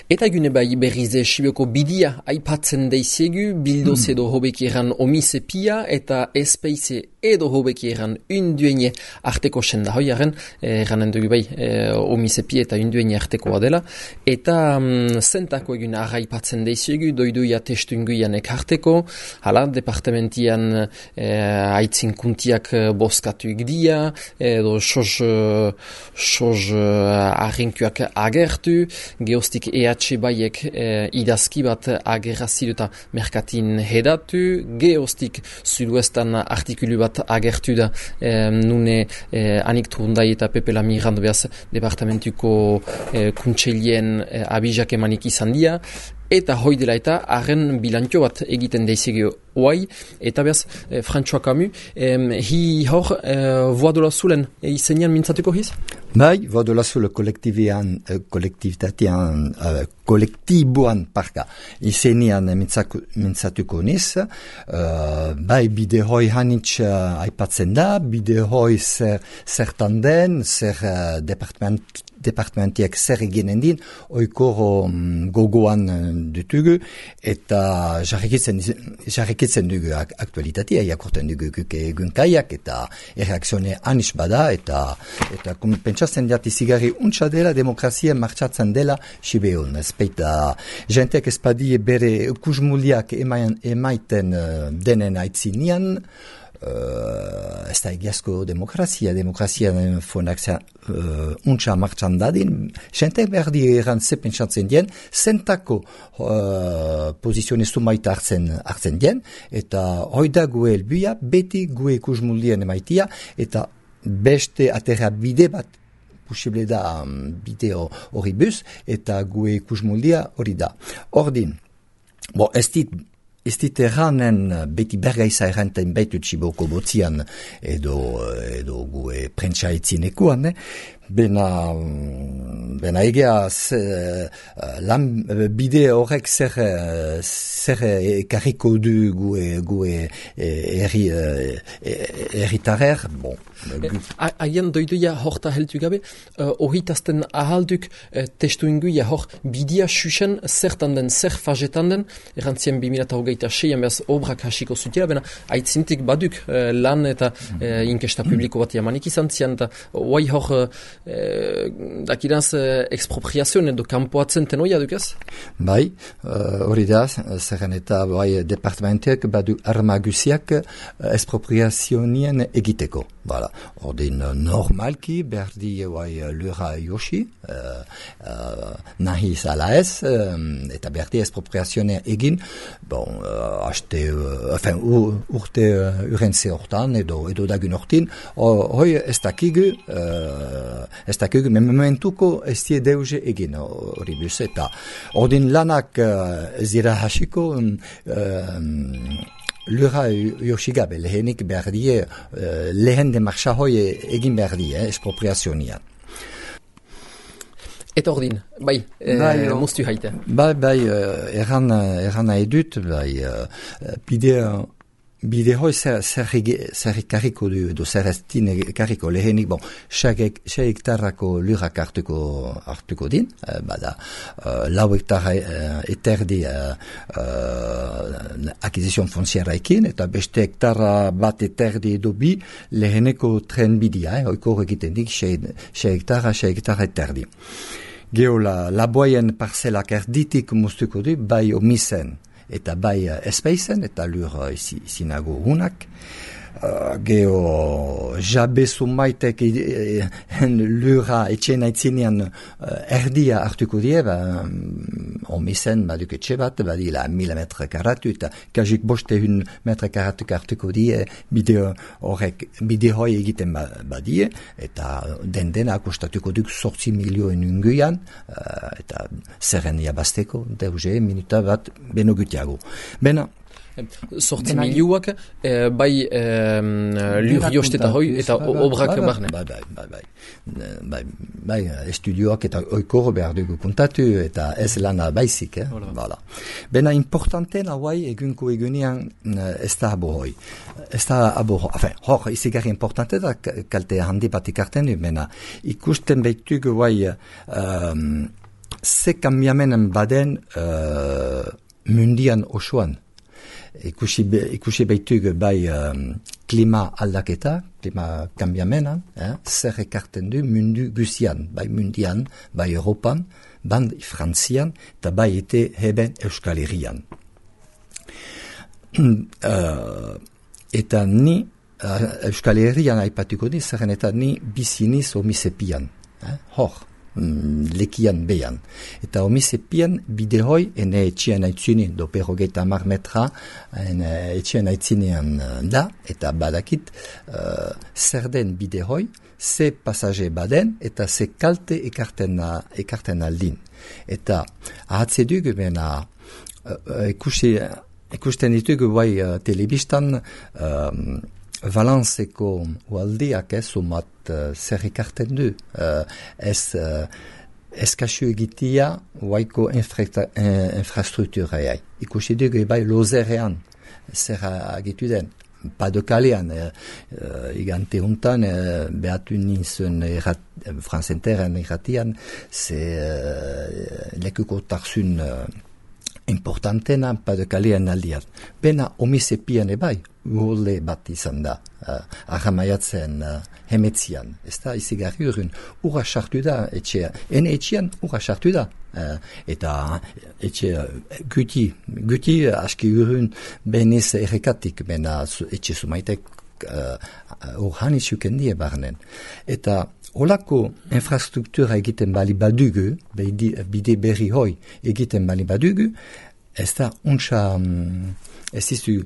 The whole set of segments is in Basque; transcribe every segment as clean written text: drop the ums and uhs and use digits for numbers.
Eta gune bai berrize Sibioko bidia aipatzen deiziegu, bildoz edo hobeki eran omise pia eta espeize edo hobeki eran unduene arteko senda hoiaren, eranen dugu bai omise pia eta unduene artekoa dela, eta zentako egun arraipatzen deiziegu, doiduia testunguianek arteko, hala, departamentian aitzin kuntiak boskatu igdia, edo soz arrinkuak agertu, geostik baiek idazki bat agerrazidu eta merkatin hedatu, geostik suduestan artikulu bat agertu da nune Anik Turundai eta Pepe Lamirando behaz departamentuko kuntseilien abizak emanik izan dia, eta hoi dela eta haren bilantio bat egiten deizegio oai, eta behaz François Camus, hi hor voa dola zulen izenian mintzatuko hiz? Bai, voa dola zule kolektiboan parka izenian mintzatuko niz, bai bide hoi hanitz aipatzen da, bide hoi zertan den, zer departamentiak zer eginen din, oikoro gogoan dutugu, eta jarrikitzen dugu aktualitatea, jakorten dugu egun kaiak, eta erreakzione anis bada, eta pentsatzen diat izigarri untsa dela, demokrazia martxatzen dela Sibeon. Ezpeita, jentek ezpadie bere kusmuliak emaiten denen aitzinian, ez da egiazko demokrazia fonak untsa martxan dadin, jentek berdi eran ze pentsatzen dien, zentako pozizione sumaita hartzen dien, eta hoida gue elbuia, beti gue kusmulien emaitia, eta beste aterra bide bat posible da bideo hori bus, eta gue kusmuldia hori da. Ordin, ez dit erranen beti bergaiza errantain baitut Siboko botzian edo gue prentsa etzinekuan, Bena egea lan bide horrek zer ekarriko du gue erritarer, bon. Haien doiduia horta heltu gabe, horritazten ahalduk testu inguia hor bidia susen zertan den, zer fajetan den, erantzien 2026an behaz obrak hasiko zutela, bena aitzintik baduk lan eta inkesta publiko bat jamanik izan zian, eta oai hor dakiraz expropriazioen edo kanpoatzen tenoia dukaz? Bai, hori da, zerren eta bai departamentek badu armagusiak expropriazionien egiteko. Voilà. Ordin normalki berdi bai lura josi, nahi zala ez, eta berdi expropriazioen egin, bon, urte urentze hortan edo dagun hortin, hoi ez dakigu, mementuko ez die deuze egin hori bus, eta ordin lanak zira hasiko lura josigabe, lehenik berdie, lehen demarcha hoi egin berdie, expropriazionian. Eta ordin, bai, moztu haite. Bai, erana edut, bide hoi zer kariko du, zer estin kariko lehenik, bon, xe hektarrako lurak hartuko din, bada, lau hektara eterdi akizizion fonziaraikin, eta beste hektara bat eterdi edo bi leheneko tren bidia, oiko egiten dik, xe hektara eterdi. Geo la boien parcelak erditik moztuko du, bai omisen, eta bai espeizen, eta lur zinago hunak. Geo jabe sumaitek lura etxen aitzinean erdia hartuko die, omisen baduk etxe bat, badila 1000 metre karatu, eta kajik boste 1 metre karatu hartuko die, bide hoi egiten badie, eta den akostatuko duk 8 milioen unguian, eta zerren jabazteko, deuze minuta bat beno gutiago. Bena, 8 milioak, bai lur josteta hoi eta obrak barne. Bai, estudioak eta oikoro behar dugu kontatu eta ez lana baizik. Voilà. Bena importanten hauai egunko egunean ez da abo hoi. Hor, izigarri importante da kalte handi bat ikarten du, bena ikusten behitugu bai ze kambiamenen baden mundian osoan. Ikusi baitug bai klima aldaketa, klima kambiamenan, zer ekarten du mundu guzian, bai mundian, bai Europan, bai Frantzian, eta bai ete heben Euskal Herrian. Eta ni Euskal Herrian aipatuko di, zerren eta ni biziniz omisepian, hor. Lekian behan. Eta omisepian bide hoi, ene etxean aitzuni, doper 30 metra, etxean aitzinean da, eta badakit, zer den bide hoi, ze pasaje baden, eta ze kalte ekarten aldin. Eta ahatze dugu, bena, ikusten ditugu bai telebistan, Valenseko ualdiak sumat zer ekarten du. Ez kasu egitia waiko infrastruktureai. Ikusi dugu bai lozerean zer agitu den. Padokalean, igante untan, behatu nintzen Francenteren irratian, ze lekuko tarzun importantena Padokalean aldiat. Bena omisepian ebai, uholde bat izan da, ahamaiatzen hemetzian. Ez da, izigarri urun, ura sartu da etxea. Ene etxean, ura sartu da. Eta etxe guti aski urun benez errekatik, bena etxe sumaitek urhan izuken die barnen. Eta olako infrastruktura egiten bali badugu, bide berri hoi egiten bali badugu, ez da untsa, ez izu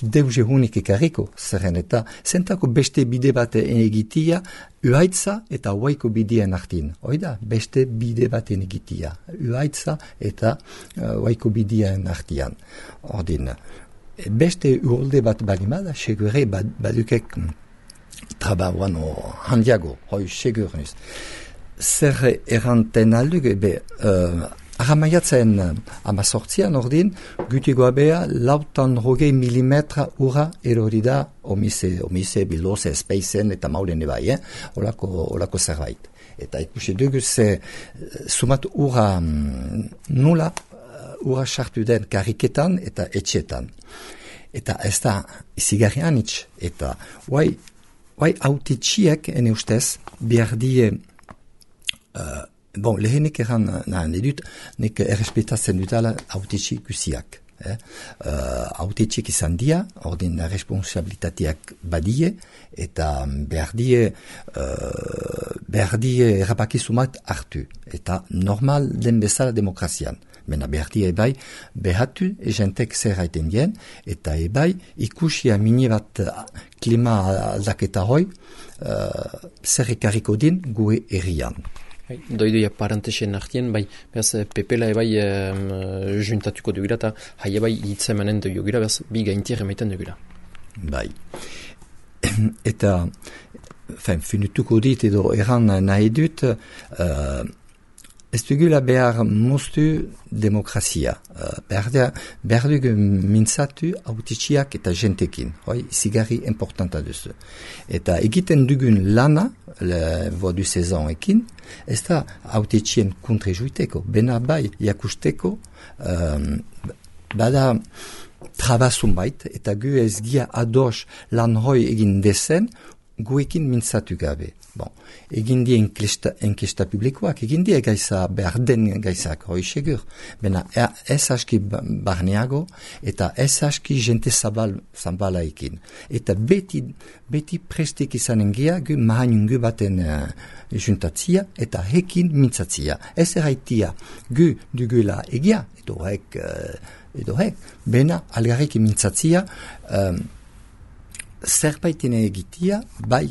deuze hunik ekarriko, zerren eta zentako beste bide bat egitia, uhaitza eta huaiko bideen artin. Oida, beste bide bat egitia, uhaitza eta huaiko bideen artian. Ordin, beste uholde bat balimada, segure badukek trabauan handiago, hoi segurnuz. Zer erranten aldugu, ahamaiatzen amazortzian ordin, gutigoa beha, 600 milimetra ura erori da omise biloze espeizen eta maulen ebai, olako zerbait. Eta ikusi dugu sumat ura nula, ura sartu den kariketan eta etxetan. Eta ez da izigarrian itx, eta Bai, autitxiek, ene ustez, behar die, lehenik eran nahan edut, nek errespetatzen dutala autitxi guziak. Autitxiek izan dia, ordin responsabilitateak badie, eta behar die errapakizumat hartu. Eta normal den bezala demokrazian. Mena behar die ebai, behatu egentek zer haiten dien, eta ebai ikusia mini bat klima aldaketa hoi, zer ekarriko din gue errian. Doidoia parentesen artien, bai, behaz, pepela ebai juntatuko dugula, eta hai ebai hitzemanen dugula, behaz, bi gaintier emaiten dugula. Bai. Eta, finituko dit edo erran nahi dut, ez dugula behar moztu demokrazia. Behar dugu mintzatu autitxiak eta jentekin. Zigarri importanta duzu. Eta egiten dugun lana, vodu sezonekin, ez da autitxien kontrejuiteko. Bena bai, jakusteko, bada trabazun bait, eta gu ez gia ados lan hoi egin dezen, guekin mintzatu gabe. Egin die enkesta publikoak, egin die gaiza behar den gaizak, hoi segur. Bena ez aski barneago, eta ez aski jente zabala ekin. Eta beti prestik izanen gea, gu mahainungu baten juntatzia, eta hekin mintzatzia. Ez erraitia, gu dugula egia, edo hek, bena algarrik mintzatzia, zerbaiten egitia, bai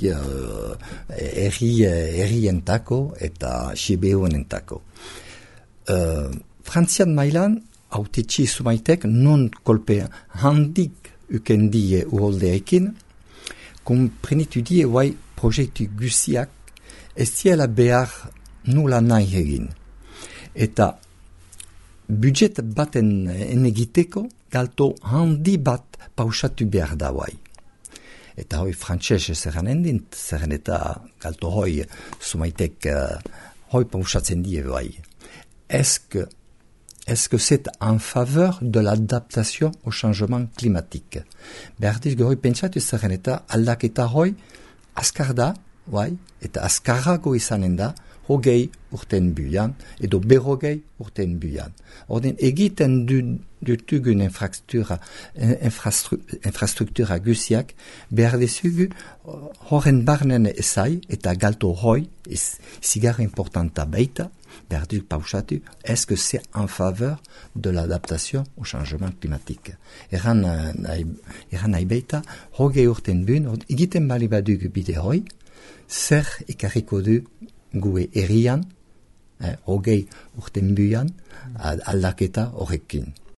errientako eta sibeonentako. Frantzian mailan, autetxi sumaitek non kolpe handik ukendie uholdeekin, komprenitu die bai proiektu guziak ez diela behar nula nahi egin. Eta budget baten enegiteko galto handi bat pausatu behar da bai. Eta hoi frantxez zerran endint, zerran eta galto hoi sumaitek hoi pausatzen die bai. est-ce que c'est en faveur de l'adaptation au changement climatique? Berdiz gehoi pentsatu zaren eta aldaketa hoi azkar da, eta azkarrago izanen da, 20 urten buian, edo 40 urten buian. Orden, egiten dutugun infrastruktura guziak, behar dezugu horren barnen ezai, eta galto hoi, zigarra importanta baita, behar duk pausatu, est-ce que c'est en faveur de l'adaptation au changement climatique? Eran nahi baita, 20 urten buin, egiten bali badugu bide hoi, zer ekarriko du gue erian, 20 urten buian, aldaketa horrekin.